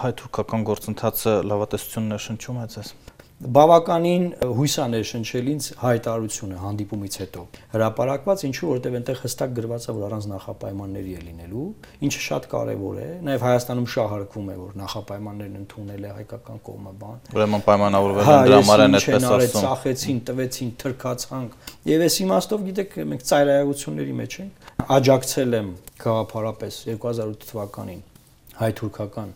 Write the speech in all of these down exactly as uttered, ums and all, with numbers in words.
հայ-թուրքական գործընթացը լավատեսություն ներշնչում է ձեզ։ Բավականին հույս է ներշնչել ինձ հայտարարությունը հանդիպումից հետո հրապարակված, ինչու որովհետև այնտեղ հստակ գրված է, որ առանց նախապայմանների է լինելու, ինչը շատ կարևոր է, նաև Հայաստանում շահարկվում է, որ նախապայմաններն ընդունել է հայկական կողմը բան։ Ուրեմն պայմանավորվել են դրա համար են այդպես ասում։ Ծախեցին, տվեցին, թրքացանք։ Եվ այս իմաստով գիտեք, մենք ծայրահեղությունների մեջ ենք։ Աջակցել եմ գաղափարապես երկու հազար ութ թվականին հայ-թուրքական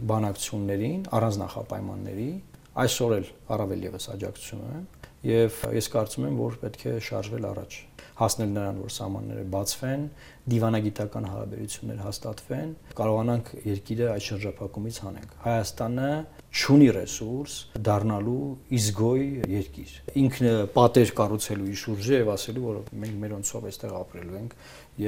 բանակցություններին առանց նախապայմանների, այսօր էլ առավել եւս աջակցություն եմ եւ ես կարծում եմ, որ պետք է շարժվել առաջ, հասնել նրան, որ սահմանները բացվեն, դիվանագիտական հարաբերություններ հաստատվեն, կարողանանք երկիրը այդ շրջափակումից հանենք։ Հայաստանը չունի ռեսուրս դառնալու իզգոյ երկիր։ Ինքն պատեր կառուցելու իր շուրջը եւ ասելու, որ մենք մերոնցով այստեղ ապրելու ենք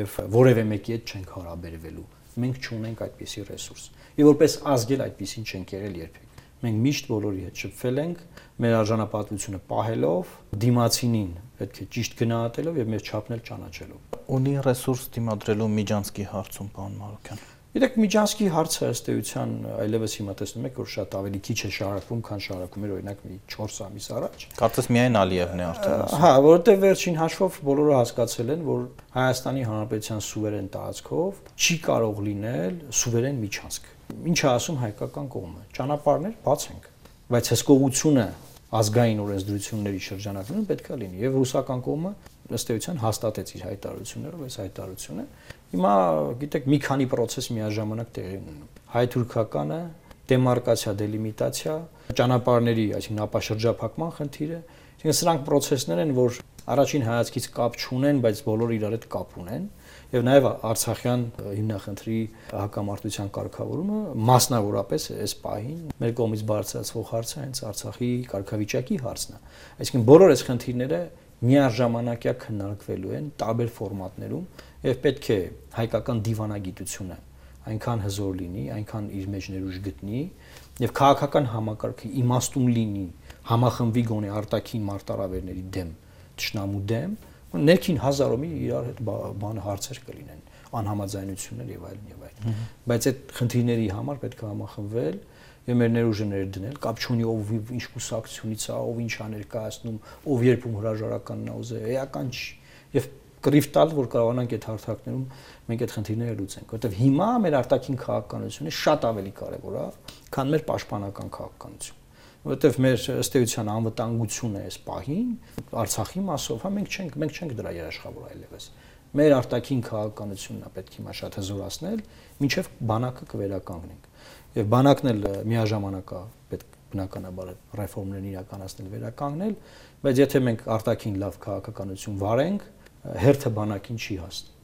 եւ որևէ մեկի հետ չենք հարաբերվելու։ Մենք չունենք այդպիսի ռեսուրս։ Եվ որպես ազգ էլ այդպիսին չենք եղել երբեք։ Մենք միշտ բոլորի հետ շփվել ենք, մեր արժանապատվությունը պահելով, դիմացինին պետք է ճիշտ գնահատելով եւ մեր չափն էլ ճանաչելով։ Ունի ռեսուրս դիմադրելու Միջանցքի հարցում, պարոն Մարուկյան։ Գիտեք, Միջանցքի հարցը ըստ էության այլևս հիմա տեսնում եք, որ շատ ավելի քիչ է շարակվում, քան շարակվում էր օրինակ մի չորս ամիս առաջ։ Կարծես միայն Ալիևն է արդեն ասում։ Հա, որովհետեւ վերջին հաշվով բոլորը հասկացել են, որ Հայաստանի Հանրապետության սուվերեն տարածքով չի կարող լինել սուվերեն Միջանցք։ Ինչ է ասում հայկական կողմը։ Ճանապարհներ բացենք, բայց հսկողությունը ազգային օրենսդրությունների շրջանակներում պետք է լինի եւ ռուսական կողմը ըստ էության հաստատեց իր հայտարարություններով այս հայտարարությունը։ Հիմա գիտեք մի քանի process միաժամանակ տեղի ունենում։ Հայ-թուրքականը, դեմարկացիա, դելիմիտացիա, ճանապարհների, այսինքն ապաշրջափակման խնդիրը, այսինքն սրանք process-ներ են, որ առաջին հայացքից կապ չունեն, բայց բոլորը իրար հետ կապ ունեն։ Եվ նաև Արցախյան հիմնախնդրի հակամարտության կարգավորումը մասնավորապես այս պահին մեր կողմից բարձրացվող հարցը հենց Արցախի կարգավիճակի հարցն է։ Այսինքն բոլոր այս խնդիրները միաժամանակյա քննարկվելու են տարբեր ֆորմատներում եւ պետք է հայկական դիվանագիտությունը այնքան հզոր լինի, այնքան իր մեջ ներուժ գտնի եւ քաղաքական համակարգը իմաստուն լինի, համախմբվի գոնե արտաքին մարտահրավերների դեմ, ճշնամու դեմ, ներքին հազարոմի իրար հետ բան հարցեր կլինեն, անհամաձայնություններ եւ այլն եւ այլն։ Բայց այդ խնդիրների համար պետք է համախմբվել եւ մեր ներուժը ներդնել, կապ չունի ով ինչ կուսակցությունից է, ով ինչ է ներկայացնում, ով երբում հրաժարականն է ուզել, էական չի։ Եվ կռիվ տալ, որ կարողանանք այդ հարթակներում մենք այդ խնդիրները լուծենք, որովհետեւ հիմա մեր արտաքին քաղաքականությունը շատ ավելի կարեւոր է, քան մեր պաշտպանական քաղաքականությունը։ Որովհետև մեր ըստ էության անվտանգությունը այս պահին Արցախի մասով, հա մենք չենք, մենք չենք դրա երաշխավոր այլևս։ Մեր արտաքին քաղաքականությունն է պետք հիմա շատ հզորացնել, մինչև բանակը կվերականգնենք։ Եվ բանակն էլ միաժամանակ է պետք բնականաբար ռեֆորմներն իրականացնել, վերականգնել, բայց եթե մենք արտաքին լավ քաղաքականություն վարենք, հերթը բանակին չի հասնի։